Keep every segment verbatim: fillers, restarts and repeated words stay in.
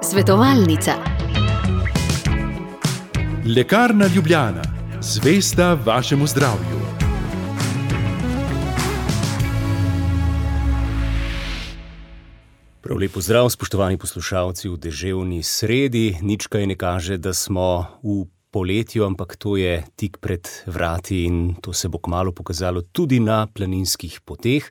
Svetovalnica. Lekarna Ljubljana, zvesta vašemu zdravju. Prav lep pozdrav, spoštovani poslušalci v deževni sredi. Nič kaj ne kaže, da smo v poletju, ampak to je tik pred vrati in to se bo kmalu pokazalo tudi na planinskih poteh.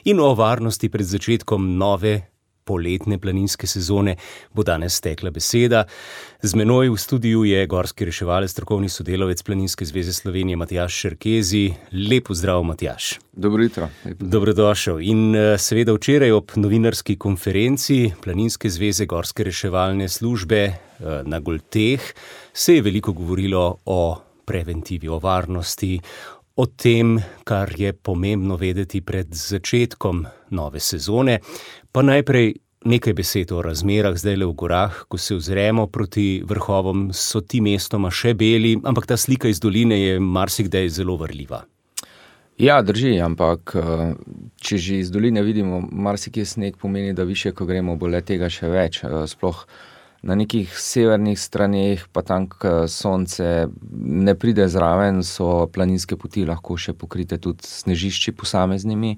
In o varnosti pred začetkom nove poletne planinske sezone bo danes tekla beseda. Z menoj v studiu je gorski reševalec, strokovni sodelavec Planinske zveze Slovenije Matjaž Šerkezi. Lep pozdrav, Matjaž. Dobro jutro. Dobrodošel. In seveda včeraj ob novinarski konferenci Planinske zveze Gorske reševalne službe na Golteh se je veliko govorilo o preventivi, o varnosti, o tem, kar je pomembno vedeti pred začetkom nove sezone. Pa najprej nekaj besed o razmerah zdajle v gorah. Ko se ozremo proti vrhovom, so ti mestoma še beli, ampak ta slika iz doline je marsikdaj zelo varljiva. Ja, drži, ampak če že iz doline vidimo, marsikje sneg pomeni, da više, ko gremo, bo le tega še več. Sploh na nekih severnih straneh, pa tam, ko sonce ne pride zraven, so planinske poti lahko še pokrite tudi snežišči posameznimi.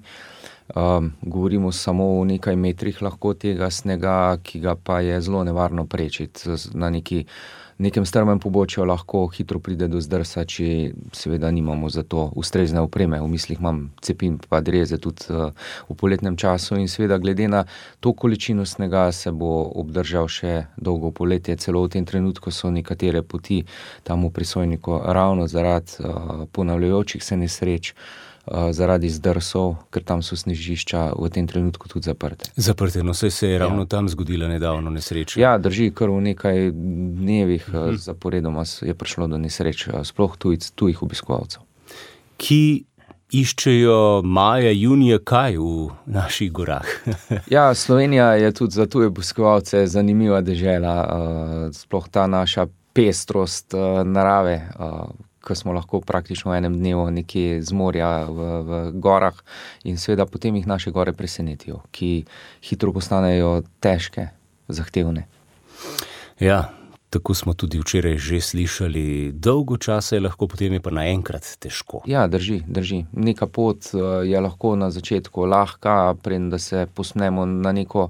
Um, govorimo samo o nekaj metrih lahko tega snega, ki ga pa je zelo nevarno prečiti. Na neki, nekem strmem pobočju lahko hitro pride do zdrsa, če seveda nimamo za to ustrezne opreme. V mislih imam cepin pa dreze tudi uh, v poletnem času in seveda glede na to količino snega se bo obdržal še dolgo poletje. Celo v tem trenutku so nekatere poti tam v Prisojniku ravno zaradi uh, ponavljajočih se nesreč, zaradi zdrsov, ker tam so snežišča v tem trenutku tudi zaprte. Zaprte, no saj se je ravno ja. tam zgodila nedavno nesreča. Ja, drži, kar v nekaj dnevih uh-huh. zaporedoma je prišlo do nesreč, sploh tuj, tujih obiskovalcev. Ki iščejo maja, junija kaj v naših gorah? Ja, Slovenija je tudi za tuje obiskovalce zanimiva dežela, sploh ta naša pestrost narave, ko smo lahko praktično v enem dnevu nekje z morja v, v gorah in seveda potem jih naše gore presenetijo, ki hitro postanejo težke, zahtevne. Ja, tako smo tudi včeraj že slišali, dolgo časa je lahko, potem je pa naenkrat težko. Ja, drži, drži. Neka pot je lahko na začetku lahka, preden da se posnemo na neko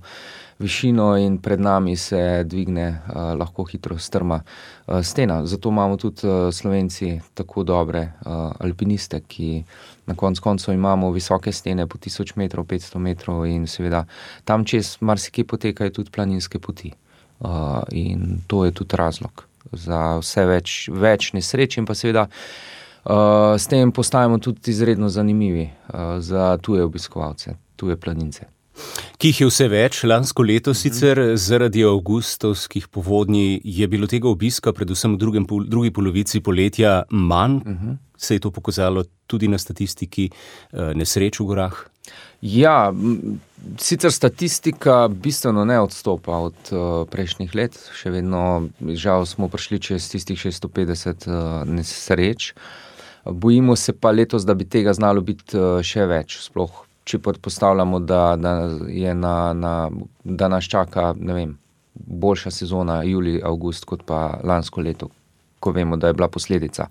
višino in pred nami se dvigne uh, lahko hitro strma uh, stena. Zato imamo tudi uh, Slovenci tako dobre uh, alpiniste, ki na konc koncev imamo visoke stene po tisoč metrov, petsto metrov in seveda tam čez marsikje potekajo tudi planinske poti. Uh, in to je tudi razlog za vse več, več nesreč in pa seveda uh, s tem postajamo tudi izredno zanimivi uh, za tuje obiskovalce, tuje planince. Ki jih je vse več, lansko leto sicer zaradi avgustovskih povodnji je bilo tega obiska predvsem v drugem, drugi polovici poletja manj. Uh-huh. Se je to pokazalo tudi na statistiki nesreč v gorah? Ja, sicer statistika bistveno ne odstopa od uh, prejšnjih let. Še vedno, žal smo prišli čez tistih šeststo petdeset uh, nesreč. Bojimo se pa letos, da bi tega znalo biti uh, še več, sploh če predpostavljamo, da, da, je na, na, da nas čaka, ne vem, boljša sezona julij, avgust, kot pa lansko leto, ko vemo, da je bila posledica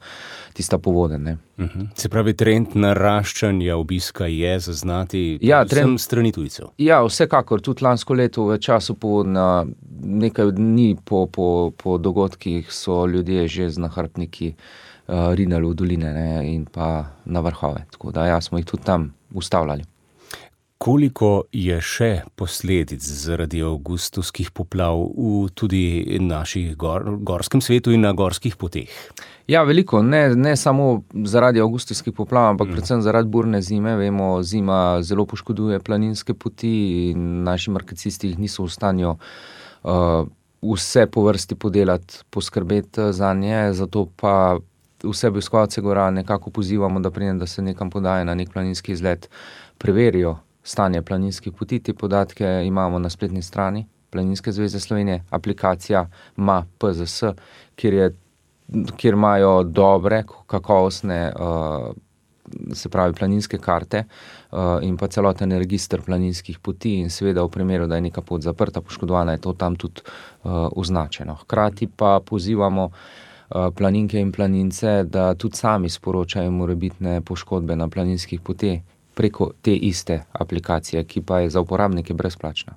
tista povodenj, ne. Uh-huh. Se pravi, trend naraščanja obiska je zaznati ja, vsem strani tujcev? Ja, vsekakor, tudi lansko leto v času povodna, nekaj dni po, po, po dogodkih so ljudje že z nahrbtniki uh, rinali v doline, ne, in pa na vrhove, tako da ja, smo jih tudi tam ustavljali. Koliko je še posledic zaradi avgustovskih poplav v tudi naših gor, gorskem svetu in na gorskih poteh? Ja, veliko. Ne, ne samo zaradi avgustovskih poplav, ampak mm. predvsem zaradi burne zime. Vemo, zima zelo poškoduje planinske poti in naši markacisti jih niso v stanju uh, vse po vrsti podelati, poskrbeti za nje, zato pa vse obiskovalce gora nekako pozivamo, da preden da se nekam podaje na nek planinski izlet, preverijo stanje planinskih poti. Te podatke imamo na spletni strani Planinske zveze Slovenije, aplikacija ima P Z S, kjer, je, kjer imajo dobre, kakovostne uh, se pravi planinske karte uh, in pa celoten register planinskih poti in seveda v primeru, da je neka pot zaprta, poškodovana, je to tam tudi uh, označeno. Hkrati pa pozivamo uh, planinke in planince, da tudi sami sporočajo morebitne poškodbe na planinskih poteh preko te iste aplikacije, ki pa je za uporabnike brezplačna.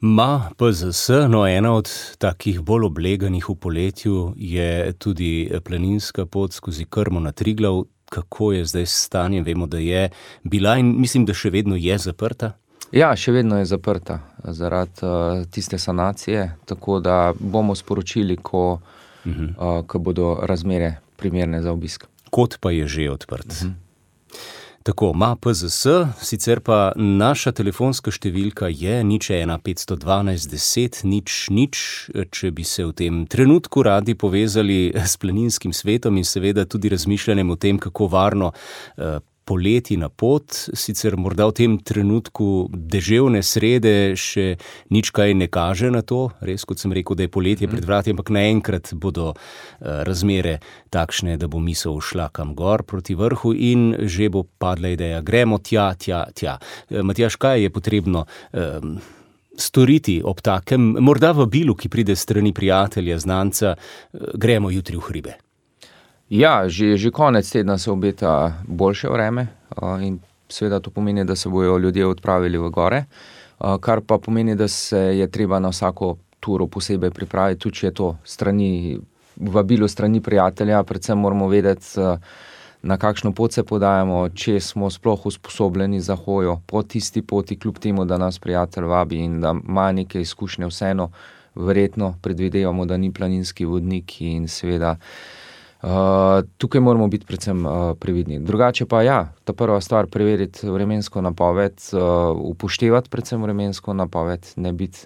Ma P Z S, no ena od takih bolj obleganih v poletju je tudi planinska pot skozi Krmo na Triglav. Kako je zdaj s stanjem? Vemo, da je bila in mislim, da še vedno je zaprta. Ja, še vedno je zaprta zaradi uh, tiste sanacije, tako da bomo sporočili, ko, uh-huh. uh, ko bodo razmere primerne za obisk. Kot pa je že odprt. Uh-huh. Tako, Ma P Z S, sicer pa naša telefonska številka je nič ena petsto dvanajst deset nič nič, če bi se v tem trenutku radi povezali s planinskim svetom in seveda tudi razmišljanjem o tem, kako varno eh, poleti na pot, sicer morda v tem trenutku deževne srede še nič kaj ne kaže na to, res kot sem rekel, da je poletje pred vrati, ampak naenkrat bodo razmere takšne, da bo misel šla kam gor proti vrhu in že bo padla ideja, gremo tja, tja, tja. Matjaž, kaj je potrebno um, storiti ob takem, morda vabilu, ki pride strani prijatelja, znanca, gremo jutri v hribe? Ja, že, že konec tedna se obeta boljše vreme in seveda to pomeni, da se bojo ljudje odpravili v gore, kar pa pomeni, da se je treba na vsako turo posebej pripraviti, tudi če je to strani, vabilo strani prijatelja, predvsem moramo vedeti, na kakšno pot se podajamo, če smo sploh usposobljeni za hojo po tisti poti, kljub temu, da nas prijatelj vabi in da ima neke izkušnje, vseeno verjetno predvidevamo, da ni planinski vodnik in seveda Uh, tukaj moramo biti predvsem uh, previdni. Drugače pa ja, ta prva stvar, preveriti vremensko napoved, uh, upoštevati predvsem vremensko napoved, ne biti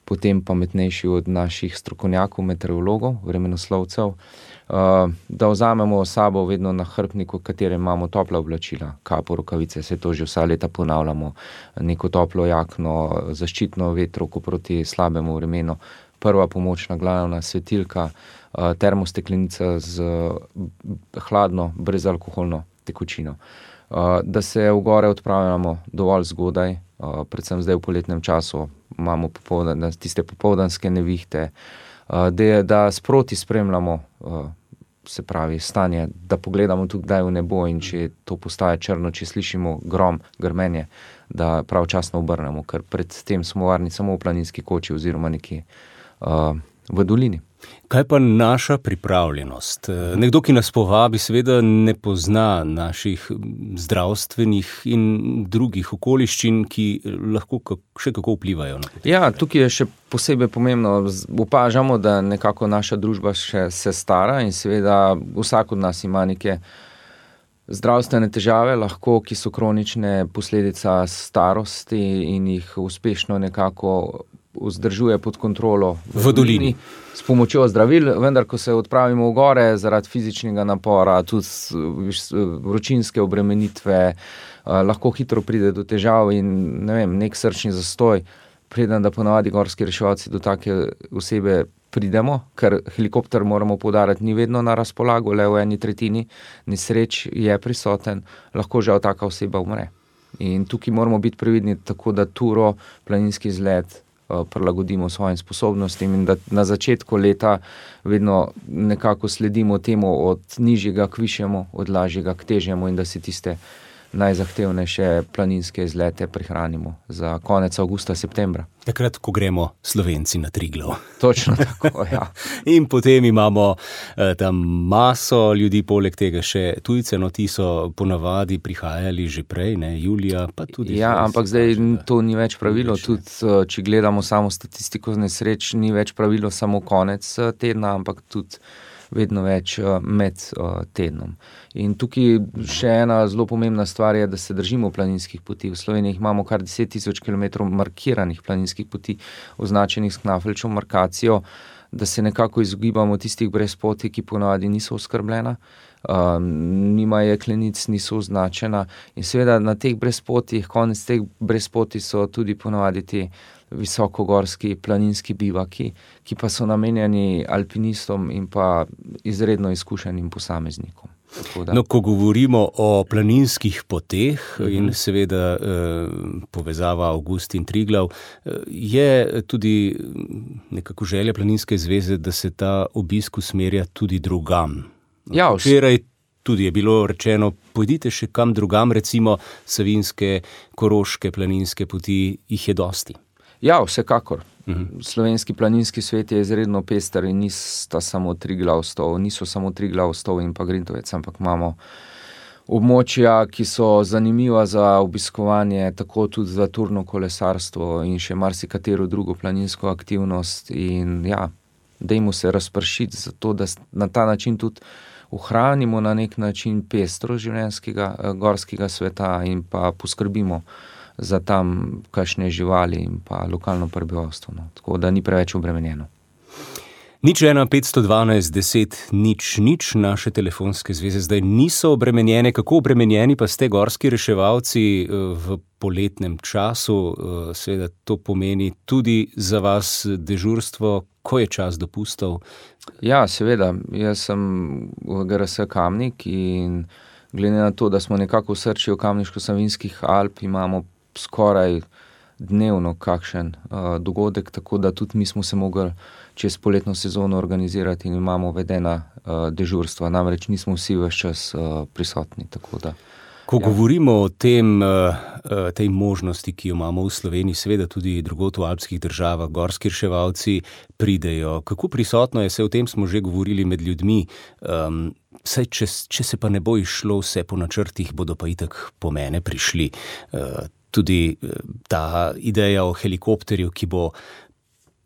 potem pametnejši od naših strokovnjakov, meteorologov, vremenoslovcev, uh, da vzamemo sabo vedno na hrbniku, katerem imamo topla oblačila, kapo, rokavice, se to že vsa leta ponavljamo, neko toplo jakno, zaščitno vetrovko proti slabemu vremenu, prva pomoč, naglavna svetilka, termosteklenica z hladno, brezalkoholno tekočino. Da se v gore odpravljamo dovolj zgodaj, predvsem zdaj v poletnem času imamo popoldan, tiste popoldanske nevihte, da, da sproti spremljamo, se pravi, stanje, da pogledamo tudi kdaj v nebo in če to postaje črno, če slišimo grom, grmenje, da pravčasno obrnemo, ker pred tem smo varni samo v planinski koči oziroma nekje uh, v dolini. Kaj pa naša pripravljenost? Nekdo, ki nas povabi, seveda ne pozna naših zdravstvenih in drugih okoliščin, ki lahko še kako vplivajo na potek. Ja, tukaj je še posebej pomembno, opažamo, da nekako naša družba še se stara in seveda vsak od nas ima neke zdravstvene težave, lahko, ki so kronične, posledica starosti in jih uspešno nekako vzdržuje pod kontrolo v, v dolini s pomočjo zdravil, vendar ko se odpravimo v gore zaradi fizičnega napora, tudi vročinske obremenitve, lahko hitro pride do težav in ne vem, nek srčni zastoj, preden da ponavadi gorski reševalci do take osebe pridemo, ker helikopter, moramo poudariti, ni vedno na razpolago, le v eni tretjini nesreč je prisoten, lahko žal taka oseba umre. In tukaj moramo biti previdni, tako da turo, planinski izlet prilagodimo svojim sposobnostim in da na začetku leta vedno nekako sledimo temu od nižjega k višjemu, od lažjega k težjemu in da si tiste najzahtevnejše planinske izlete prihranimo za konec avgusta, septembra. Takrat, ko gremo Slovenci na Triglav. Točno tako, ja. In potem imamo eh, tam maso ljudi, poleg tega še tujce, no ti so ponavadi prihajali že prej, ne, julija, pa tudi... Ja, ampak zdaj to ni več pravilo, tudi če gledamo samo statistiko nesreč, ni več pravilo samo konec tedna, ampak tudi vedno več med tednom. In tukaj še ena zelo pomembna stvar je, da se držimo planinskih poti. V Sloveniji imamo kar deset tisoč kilometrov markiranih planinskih poti, označenih s knafeljčevo markacijo, da se nekako izogibamo tistih brezpoti, ki ponavadi niso oskrbljena, um, nima jeklenic, niso označena in seveda na teh brezpotih, konec teh brezpoti so tudi ponavadi ti visokogorski planinski bivaki, ki pa so namenjeni alpinistom in pa izredno izkušenim posameznikom. No, ko govorimo o planinskih poteh uh-huh. in seveda eh, povezava Avgustin Triglav, eh, je tudi nekako želja Planinske zveze, da se ta obisk usmerja tudi drugam. Ja, včeraj tudi je bilo rečeno, pojdite še kam drugam, recimo Savinjske, Koroške planinske poti, jih je dosti. Ja, vsekakor. Uh-huh. Slovenski planinski svet je izredno pester in nista samo Triglav stol, niso samo Triglav stol in pa Grintovec, ampak imamo območja, ki so zanimiva za obiskovanje, tako tudi za turno kolesarstvo in še marsikatero drugo planinsko aktivnost in ja, dajmo se razpršiti zato, da na ta način tudi ohranimo na nek način pestro življenjskega gorskega sveta in pa poskrbimo za tam kakšne živali in pa lokalno prebivalstvo. No. Tako da ni preveč obremenjeno. Nič ena, petsto dvanajst, deset, nič, nič, naše telefonske zveze zdaj niso obremenjene. Kako obremenjeni pa ste gorski reševalci v poletnem času? Seveda to pomeni tudi za vas dežurstvo, ko je čas dopustov. Ja, seveda. Jaz sem v G R S Kamnik in glede na to, da smo nekako v srčju Kamniško-Savinjskih Alp, imamo skoraj dnevno kakšen uh, dogodek, tako da tudi mi smo se mogli čez poletno sezono organizirati in imamo vedena uh, dežurstva, namreč nismo vsi ves čas uh, prisotni. Tako da, Ko ja. govorimo o tem, uh, tej možnosti, ki jo imamo v Sloveniji, seveda tudi drugot v alpskih državah, gorski reševalci pridejo. Kako prisotno je, se o tem smo že govorili med ljudmi, um, saj če, če se pa ne bo išlo vse po načrtih, bodo pa itak po mene prišli. Uh, Tudi ta ideja o helikopterju, ki bo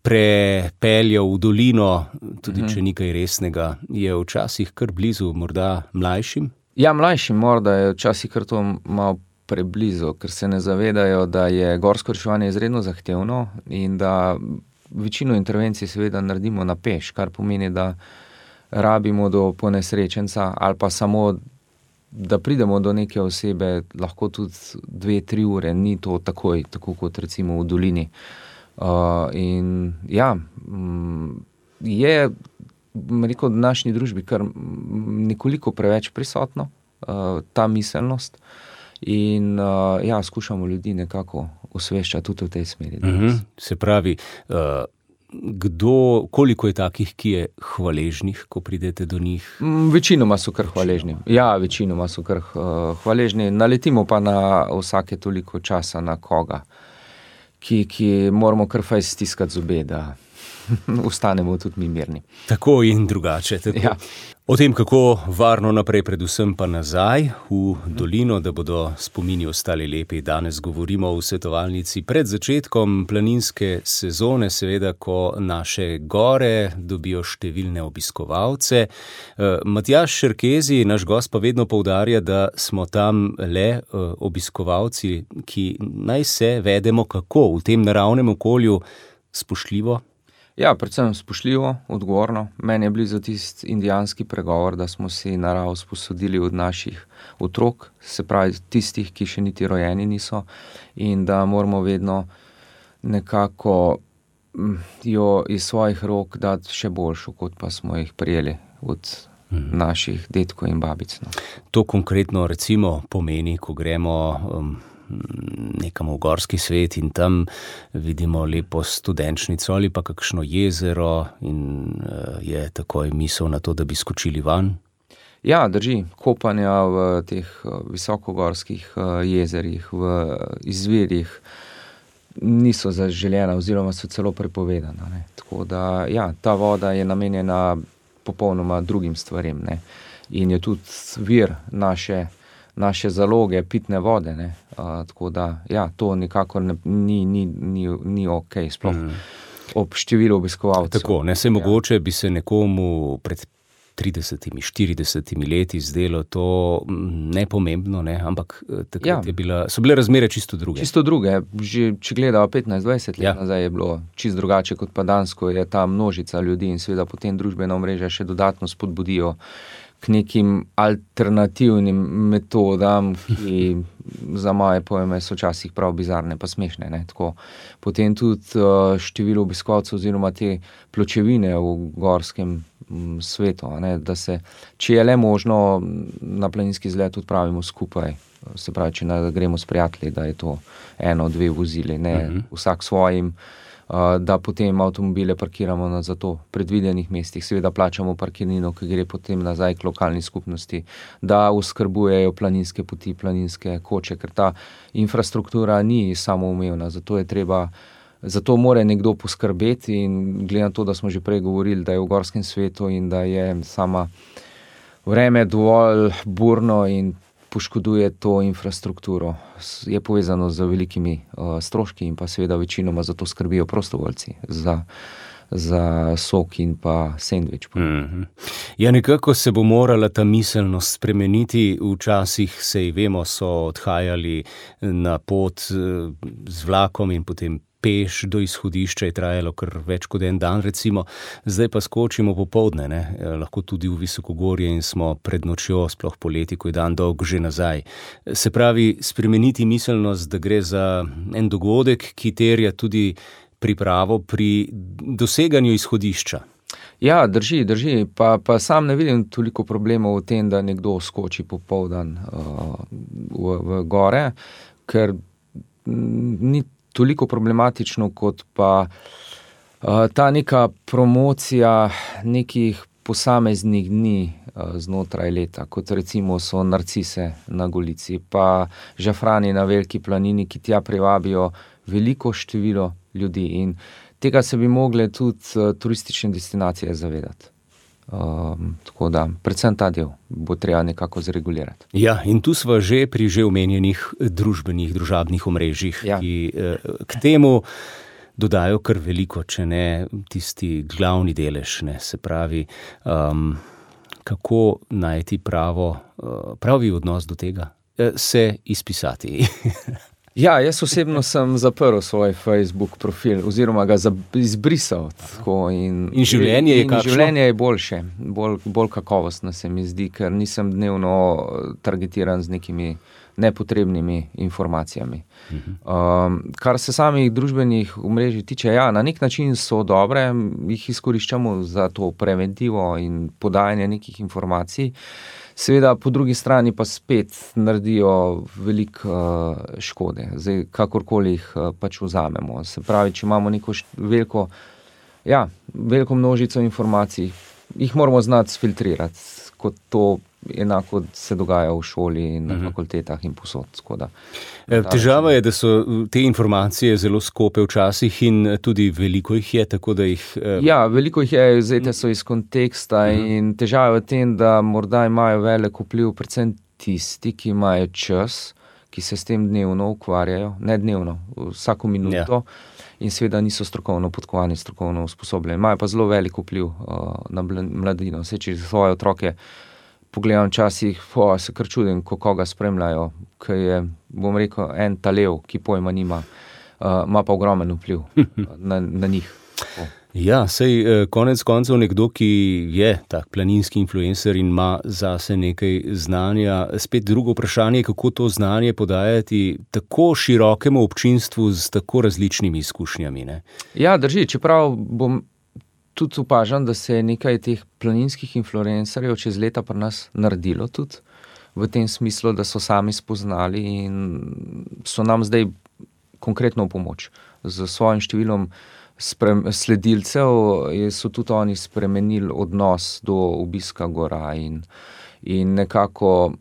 prepeljal v dolino, tudi če nekaj resnega, je včasih kar blizu, morda mlajšim? Ja, mlajšim morda je včasih kar to malo preblizu, ker se ne zavedajo, da je gorsko reševanje izredno zahtevno in da večino intervencij seveda naredimo na peš, kar pomeni, da rabimo do ponesrečenca ali pa samo da pridemo do neke osebe, lahko tudi dve, tri ure, ni to takoj, tako kot recimo v dolini. Uh, in ja, je, rekel, v današnji družbi kar nekoliko preveč prisotno, uh, ta miselnost in uh, ja, skušamo ljudi nekako osveščati tudi v tej smeri. Uh-huh. Se pravi, uh, Kdo, koliko je takih, ki je hvaležnih, ko pridete do njih? Večinoma so kar hvaležni. Ja, večinoma so kar uh, hvaležni. Naletimo pa na vsake toliko časa na koga, ki, ki moramo kar fajn stiskati zobe, da ostanemo tudi mi mirni. Tako in drugače. Tako. Ja. O tem, kako varno naprej, predvsem pa nazaj v dolino, da bodo spomini ostali lepi. Danes govorimo v svetovalnici pred začetkom planinske sezone, seveda, ko naše gore dobijo številne obiskovalce. Matjaž Šerkezi, naš gost, pa vedno poudarja, da smo tam le obiskovalci, ki naj se vedemo kako v tem naravnem okolju spoštljivo. Ja, predvsem spoštljivo, odgovorno. Meni je blizu tisti indijanski pregovor, da smo si naravo sposodili od naših otrok, se pravi tistih, ki še niti rojeni niso, in da moramo vedno nekako jo iz svojih rok dati še boljšo, kot pa smo jih prijeli od mhm. naših dedkov in babic. No. To konkretno recimo pomeni, ko gremo um, nekam v gorski svet in tam vidimo lepo studenčnico ali pa kakšno jezero in uh, je takoj misel na to, da bi skočili van? Ja, drži. Kopanja v teh visokogorskih uh, jezerih, v izvirih niso zaželjena oziroma so celo prepovedana. Ne. Tako da, ja, ta voda je namenjena popolnoma drugim stvarem, ne. In je tudi vir naše naše zaloge pitne vode, ne. Uh, tako da, ja, to nikakor ne, ni, ni, ni, ni ok, sploh mm. ob številu obiskovalcev. Tako, ne, se mogoče bi se nekomu pred tridesetimi, štiridesetimi leti zdelo to nepomembno, ne, ampak takrat ja. je bila, so bile razmere čisto druge. Čisto druge, že če gledamo petnajst dvajset let ja. nazaj je bilo čisto drugače kot pa danes, ko je ta množica ljudi in seveda potem družbena omrežja še dodatno spodbudijo k nekim alternativnim metodam, ki za moje pojme so včasih prav bizarne pa smešne. Ne? Tako, potem tudi uh, število obiskovalcev oziroma te pločevine v gorskem svetu, ne, da se, če je le možno, na planinski izlet odpravimo skupaj. Se pravi, če ne gremo s prijatelji, da je to eno, dve vozili, ne, uh-huh. vsak svojim, da potem avtomobile parkiramo na za to predvidenih mestih, seveda plačamo parkirnino, ki gre potem nazaj k lokalni skupnosti, da oskrbujejo planinske poti, planinske koče, ker ta infrastruktura ni samoumevna, zato je treba, zato mora nekdo poskrbeti in glede na to, da smo že prej govorili, da je v gorskem svetu in da je sama vreme dovolj burno in poškoduje to infrastrukturo, je povezano z velikimi uh, stroški in pa seveda večinoma za to skrbijo prostovoljci, za, za sok in pa sendvič. Mm-hmm. Ja, nekako se bo morala ta miselnost spremeniti. Včasih, sej vemo, so odhajali na pot z vlakom in potem peš do izhodišča, je trajalo kar več kot en dan, recimo. Zdaj pa skočimo popoldne, ne? Lahko tudi v visokogorje in smo pred nočjo, sploh poleti, ko je dan dolg, že nazaj. Se pravi, spremeniti miselnost, da gre za en dogodek, ki terja tudi pripravo pri doseganju izhodišča. Ja, drži, drži. Pa, pa sam ne vidim toliko problemov v tem, da nekdo skoči popoldan uh, v, v gore, ker ni toliko problematično, kot pa uh, ta neka promocija nekih posameznih dni uh, znotraj leta, kot recimo so narcise na Golici, pa žafrani na Veliki planini, ki tja privabijo veliko število ljudi in tega se bi mogle tudi uh, turistične destinacije zavedati. Um, tako da, predvsem ta del bo treba nekako zregulirati. Ja, in tu sva že pri že omenjenih družbenih, družabnih omrežjih, ja. ki eh, k temu dodajo kar veliko, če ne tisti glavni delež, ne, se pravi, um, kako najti pravo, uh, pravi odnos do tega, eh, se izpisati. Ja, jaz osebno sem zaprl svoj Facebook profil oziroma ga izbrisal. Tako, in, in življenje je in kakšno? Življenje je boljše, bolj, bolj kakovostno se mi zdi, ker nisem dnevno targetiran z nekimi nepotrebnimi informacijami. Uh-huh. Um, kar se samih družbenih omrežij tiče, ja, na nek način so dobre, jih izkoriščamo za to preventivo in podajanje nekih informacij. Seveda, po drugi strani pa spet naredijo veliko uh, škode, zdaj kakorkoli jih uh, pač vzamemo. Se pravi, če imamo neko št- veliko, ja, veliko množico informacij, jih moramo znati sfiltrirati, kot to enako se dogaja v šoli in na uh-huh. fakultetah in posod. Skoda. Težava je, da so te informacije zelo skope včasih in tudi veliko jih je, tako da jih... Eh... Ja, veliko jih je, vzete so iz konteksta uh-huh. in težava je v tem, da morda imajo velik vpliv predvsem tisti, ki imajo čas, ki se s tem dnevno ukvarjajo, ne dnevno, vsako minuto ja. in seveda niso strokovno podkovani, strokovno usposobljeni. Imajo pa zelo velik vpliv uh, na mladino. Vse, če svoje otroke pogledam včasih, po, se kar čudim, ko koga spremljajo, ker je, bom rekel, en talev, ki pojma nima, uh, ima pa ogromen vpliv na, na njih. Po. Ja, sej konec koncev nekdo, ki je tak planinski influencer in ima zase nekaj znanja. Spet drugo vprašanje, kako to znanje podajati tako širokemu občinstvu z tako različnimi izkušnjami, ne? Ja, drži, čeprav bom tudi opažam, da se je nekaj teh planinskih influencerjev čez leta pri nas naredilo tudi, v tem smislu, da so sami spoznali in so nam zdaj konkretno v pomoč. Z svojim številom sprem, sledilcev so tudi oni spremenili odnos do obiska gora in, in nekako,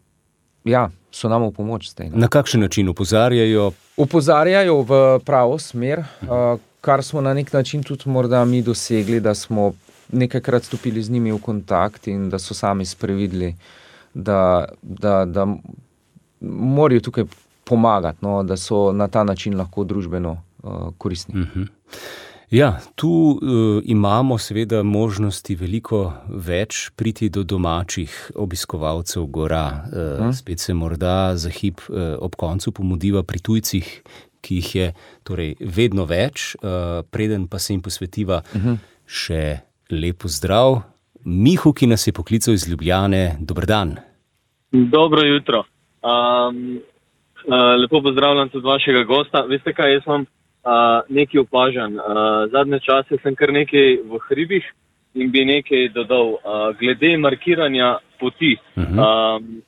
ja, so nam v pomoč zdaj. Ne? Na kakšen način opozarjajo? Opozarjajo v pravo smer, uh, kar smo na nek način tudi morda mi dosegli, da smo nekajkrat stopili z njimi v kontakt in da so sami sprevidli, da, da, da morajo tukaj pomagati, no, da so na ta način lahko družbeno uh, koristni. Uh-huh. Ja, tu uh, imamo seveda možnosti veliko več priti do domačih obiskovalcev gora. Uh, uh-huh. Spet se morda za hip uh, ob koncu pomudiva pri tujcih, ki jih je torej vedno več, uh, preden pa se jim posvetiva uh-huh. še lepo zdrav. Mihu, ki nas je poklical iz Ljubljane, dober dan. Dobro jutro. Um, uh, lepo pozdravljam tudi vašega gosta. Veste kaj, jaz vam uh, nekaj opažam. Uh, zadnje čase sem kar nekaj v hribih in bi nekaj dodal. Uh, glede markiranja poti. Uh-huh. Um,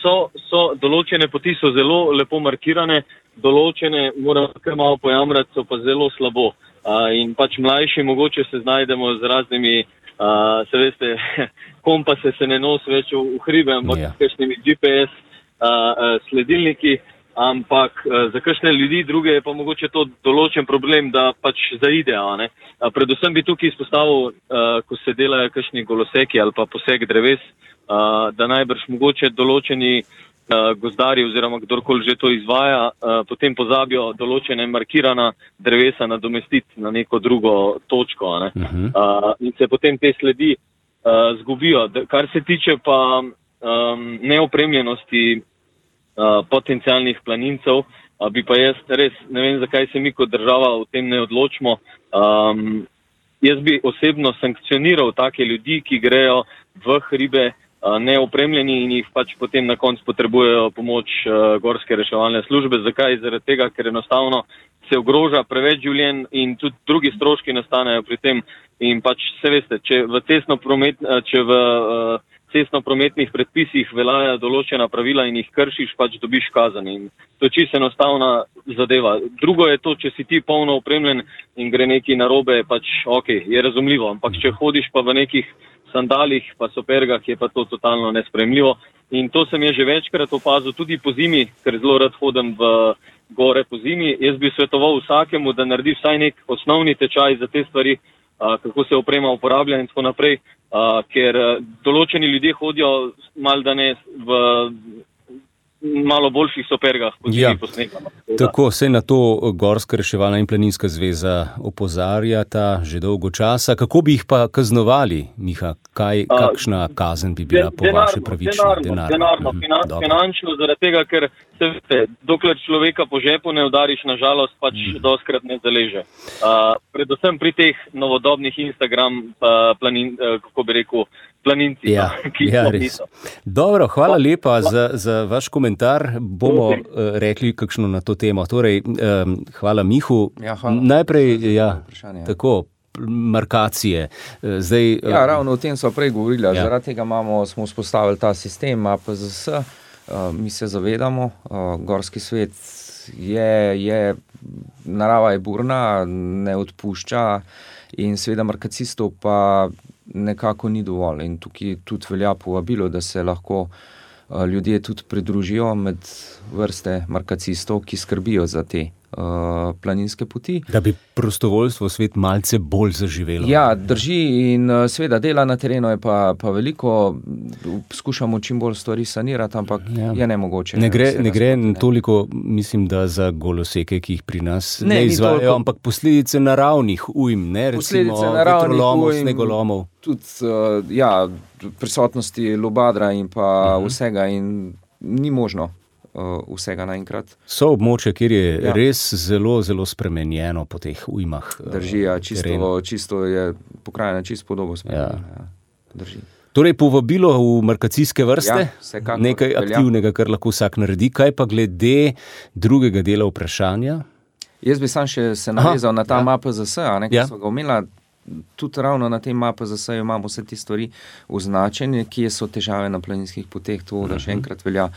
so, so, določene poti so zelo lepo markirane, določene, moram kar malo pojamrati, so pa zelo slabo. Uh, in pač mlajši mogoče se znajdemo z raznimi, uh, se veste, kompase se ne nosi več v, v hribe, ampak yeah. s kakšnimi G P S uh, sledilniki, ampak uh, za kakšne ljudi druge je pa mogoče to določen problem, da pač zaidejo. Ne? Uh, predvsem bi tukaj izpostavil, uh, ko se delajo kakšni goloseki ali pa poseg dreves, uh, da najbrž mogoče določeni uh, gozdari oziroma kdorkoli že to izvaja, uh, potem pozabijo določene markirana drevesa nadomestiti na neko drugo točko. Ne? Uh-huh. Uh, in se potem te sledi uh, zgubijo. Kar se tiče pa um, neopremljenosti uh, potencialnih planincev, uh, bi pa jaz res, ne vem, zakaj se mi kot država v tem ne odločimo. Um, jaz bi osebno sankcioniral take ljudi, ki grejo v hribe neopremljeni in jih pač potem na koncu potrebujejo pomoč uh, gorske reševalne službe. Zakaj? Zaradi tega, ker enostavno se ogroža preveč življenj in tudi drugi stroški nastanejo pri tem. In pač se veste, če v cestno-promet, če v uh, cestno-prometnih predpisih veljajo določena pravila in jih kršiš, pač dobiš kazen. In to je čisto enostavna zadeva. Drugo je to, če si ti polno opremljen in gre nekaj narobe, pač ok, je razumljivo. Ampak če hodiš pa v nekih sandalih, pa supergah, je pa to totalno nesprejemljivo. In to sem je že večkrat opazil tudi po zimi, ker zelo rad hodim v gore po zimi. Jaz bi svetoval vsakemu, da naredi vsaj nek osnovni tečaj za te stvari, a, kako se oprema uporablja in tako naprej, a, ker a, določeni ljudje hodijo mal da ne v malo boljših supergah po zimi, ja, po snegu. Tako, se na to Gorska reševalna in planinska zveza opozarjata že dolgo časa. Kako bi jih pa kaznovali, Miha? Kaj, kakšna kazen bi bila po vaše pravična? Denarno, denarno, finan, finančno, zaradi tega, ker se veste, dokler človeka po žepu ne udariš, na žalost pač mm. doskrat ne zaleže. Uh, predvsem pri teh novodobnih Instagram uh, planin, uh, kako bi rekel, planinci, ja, ki ja, so niso. Dobro, hvala lepa za, za vaš komentar. Bomo uh, rekli kakšno na to temo. Torej, um, hvala Mihu. Ja, hvala. Najprej, ja, tako, markacije. Zdaj, ja, ravno o tem so prej govorili. Ja. Zaradi tega imamo, smo vzpostavili ta sistem A P Z S. Uh, mi se zavedamo, uh, gorski svet je, je, narava je burna, ne odpušča in seveda markacistov pa nekako ni dovolj. In tukaj tudi velja povabilo, da se lahko uh, ljudje tudi pridružijo med vrste markacistov, ki skrbijo za te uh, planinske poti. Da bi prostovoljstvo svet malce bolj zaživelo. Ja, drži in uh, seveda dela na terenu je pa, pa veliko, skušamo čim bolj stvari sanirati, ampak ja. je nemogoče. Ne gre, ne gre spoti, ne. toliko, mislim, da za goloseke, ki jih pri nas ne, ne izvajajo, toliko, ampak posledice naravnih ujm, ne, recimo vetrolomov, snegolomov. Tudi uh, ja, prisotnosti lubadra in pa uh-huh. vsega in ni možno uh, vsega naenkrat. So območja, kjer je ja. res zelo, zelo spremenjeno po teh ujmah. Drži, ja, čisto, čisto je pokrajina čisto podobo spremenjena. Ja. Ja, drži. Torej, povabilo v markacijske vrste, ja, nekaj velja. aktivnega, kar lahko vsak naredi. Kaj pa glede drugega dela vprašanja? Jaz bi sam še se navezal Aha, na ta ja. A P Z S, a ne, ki ja. so ga omenila. Tudi ravno na tem A P Z S imamo vse te stvari označene, kje so težave na planinskih poteh, to, da še enkrat velja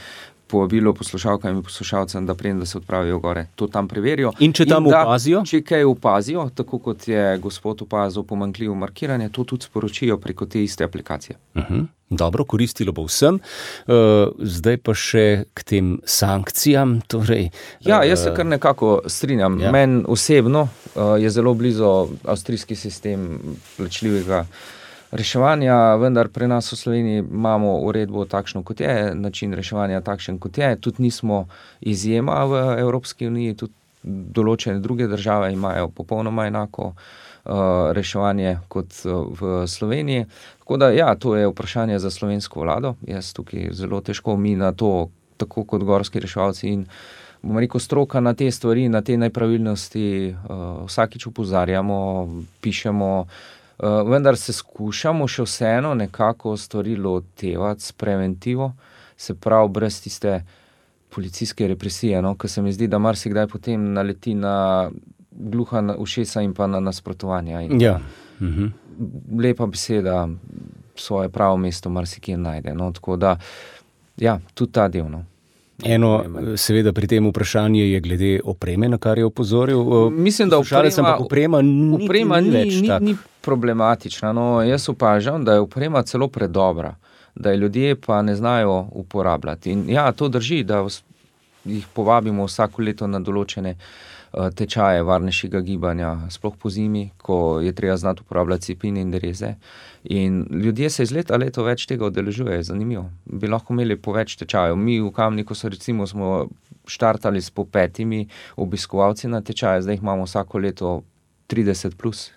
povabilo poslušalkam in poslušalcem, da preden, da se odpravijo gore, to tam preverijo. In če tam in da, opazijo? Če kaj opazijo, tako kot je gospod opazil pomanjkljivo markiranje, to tudi sporočijo preko te iste aplikacije. Uh-huh. Dobro, koristilo bo vsem. Uh, zdaj pa še k tem sankcijam. Torej, ja, jaz se kar nekako strinjam. Ja. Meni osebno uh, je zelo blizu avstrijski sistem plačljivega reševanja, vendar pri nas v Sloveniji imamo uredbo takšno, kot je, način reševanja takšen, kot je. Tudi nismo izjema v Evropski uniji, tudi določene druge države imajo popolnoma enako uh, reševanje kot uh, v Sloveniji. Tako da, ja, to je vprašanje za slovensko vlado. Jaz tukaj zelo težko mi na to, tako kot gorski reševalci in bomo rekel stroka na te stvari, na te nepravilnosti, uh, vsakič opozarjamo, pišemo, Uh, vendar se skušamo še vseeno nekako stvari lotevati s preventivo, se pravi brez tiste policijske represije, no, ker se mi zdi, da marsikdaj potem naleti na gluha ušesa in pa na nasprotovanja. In ja. Mhm. lepa beseda svoje pravo mesto marsikje najde. No, tako da, ja, tudi ta del. No. Eno, seveda pri tem vprašanju je glede opreme, na kar je opozoril. Mislim, da oprema, oprema, ni, oprema ni, ni, več ni, tak. ni problematična. No, jaz opažam, da je oprema celo predobra, da je ljudje pa ne znajo uporabljati. In ja, to drži, da jih povabimo vsako leto na določene tečaje varnejšega gibanja, sploh po zimi, ko je treba znati uporabljati cepine in dereze. In ljudje se iz leta leto več tega udeležujejo, zanimivo. Bi lahko imeli po več tečajev. Mi v Kamniku so recimo smo štartali s po petimi obiskovalci na tečaje, zdaj jih imamo vsako leto trideset plus.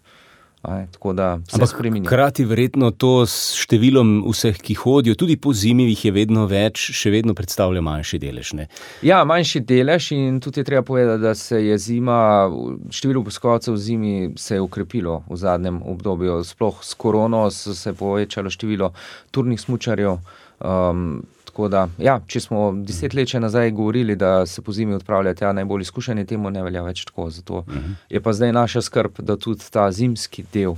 Aj, tako da se spreminja. Hkrati verjetno to s številom vseh, ki hodijo, tudi po zimi jih je vedno več, še vedno predstavlja manjši delež, ne? Ja, manjši delež in tudi je treba povedati, da se je zima, število obiskovalcev v zimi se je ukrepilo v zadnjem obdobju. Sploh s korono se je povečalo število turnih smučarjev. Um, tako da, ja, če smo deset let še nazaj govorili, da se po zimi odpravljajo tja najbolj izkušeni, temu ne velja več tako. Zato uh-huh. je pa zdaj naša skrb, da tudi ta zimski del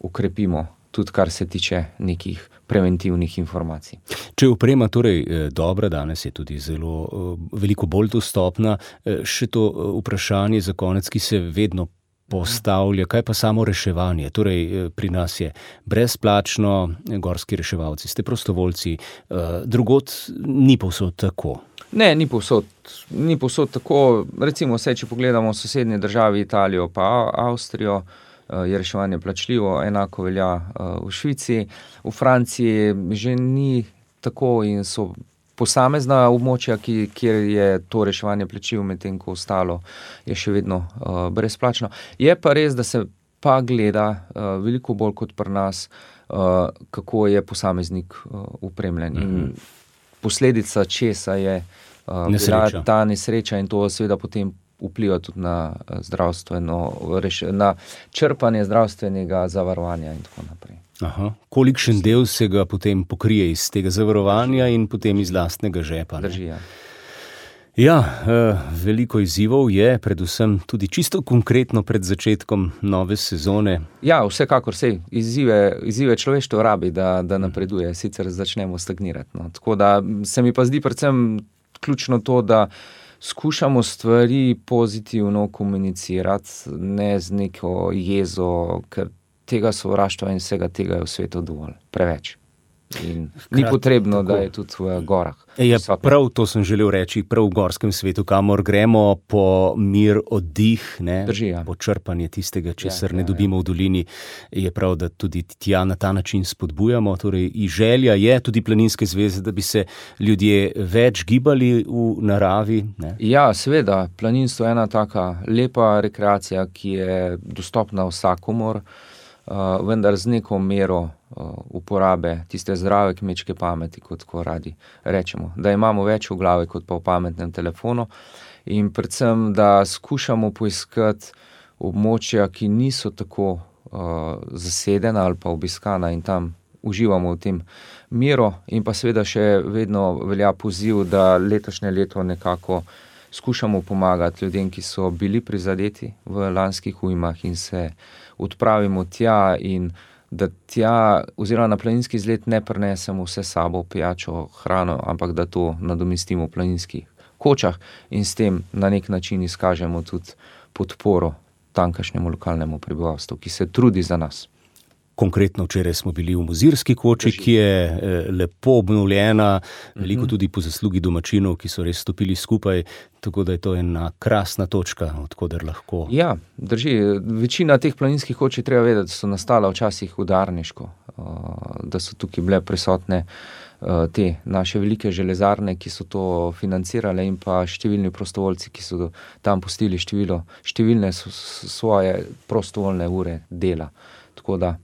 ukrepimo, tudi kar se tiče nekih preventivnih informacij. Če je oprema torej dobra, danes je tudi zelo veliko bolj dostopna, še to vprašanje za konec, ki se vedno postavlja, kaj pa samo reševanje? Torej, pri nas je brezplačno, gorski reševalci, ste prostovoljci, drugod ni povsod tako. Ne, ni povsod, ni povsod tako. Recimo vse, če pogledamo sosednje države, Italijo pa Avstrijo, je reševanje plačljivo, enako velja v Švici. V Franciji že ni tako in so posamezna območja, ki, kjer je to reševanje plačljivo, medtem ko ostalo je še vedno uh, brezplačno. Je pa res, da se pa gleda uh, veliko bolj kot pri nas, uh, kako je posameznik uh, upremljen. Mm-hmm. In posledica česa je uh, bila ta nesreča in to seveda potem vpliva tudi na zdravstveno, na črpanje zdravstvenega zavarovanja in tako naprej. Aha. Kolikšen del se ga potem pokrije iz tega zavarovanja in potem iz lastnega žepa? Drži, ja. Ja, veliko izzivov je, predvsem tudi čisto konkretno pred začetkom nove sezone. Ja, vsekakor se izzive, izzive človeštvo rabi, da, da napreduje, sicer začnemo stagnirati. No. Tako da se mi pa zdi predvsem ključno to, da skušamo stvari pozitivno komunicirati, ne z neko jezo, ker tega sovraštva in vsega tega je v svetu dovolj, preveč. In ni Krat, potrebno, tako. Da je tudi v gorah. Ja, prav to sem želel reči, prav v gorskem svetu, kamor gremo po mir, oddih, ne, Drži, ja. po črpanje tistega, česar ja, ne ja, dobimo ja. v dolini, je prav, da tudi tja na ta način spodbujamo. Torej, in želja je tudi Planinske zveze, da bi se ljudje več gibali v naravi. Ne? Ja, seveda, planinstvo je ena taka lepa rekreacija, ki je dostopna vsakomur, Uh, vendar z neko mero uh, uporabe tiste zdrave kmečke pameti, kot ko radi rečemo. Da imamo več v glavi kot pa v pametnem telefonu in predvsem, da skušamo poiskati območja, ki niso tako uh, zasedena ali pa obiskana in tam uživamo v tem miru in pa seveda še vedno velja poziv, da letošnje leto nekako skušamo pomagati ljudem, ki so bili prizadeti v lanskih ujmah in se odpravimo tja in da tja oziroma na planinski izlet ne prinesemo vse sabo pijačo, hrano, ampak da to nadomestimo v planinskih kočah in s tem na nek način izkažemo tudi podporo tamkajšnjemu lokalnemu prebivalstvu, ki se trudi za nas. Konkretno včeraj smo bili v Mozirski koči, ki je lepo obnovljena, veliko tudi po zaslugi domačinov, ki so res stopili skupaj, tako da je to ena krasna točka, odkoder lahko. Ja, drži. Večina teh planinskih koč je treba vedeti, da so nastala včasih udarniško, da so tukaj bile prisotne te naše velike železarne, ki so to financirale in pa številni prostovoljci, ki so tam pustili število, številne svoje prostovoljne ure dela. Tako da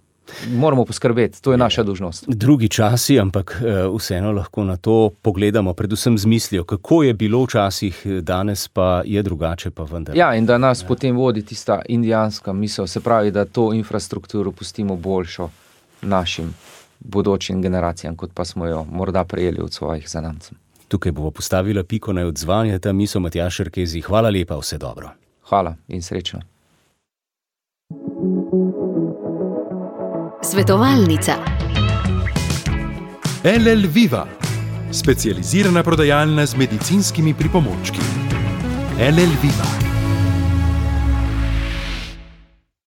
moramo poskrbeti, to je naša dolžnost. Drugi časi, ampak vseeno lahko na to pogledamo, predvsem z mislijo, kako je bilo včasih, danes pa je drugače, pa vendar. Ja, in da nas ja. potem vodi tista indijanska misel, se pravi, da to infrastrukturo pustimo boljšo našim bodočim generacijam, kot pa smo jo morda prejeli od svojih zanamcev. Tukaj bomo postavila piko na odzvanje, ta misel Matjaž Šerkezi. Hvala lepa, vse dobro. Hvala in srečno. Svetovalnica. L L Viva, specializirana prodajalna z medicinskimi pripomočki. L L Viva.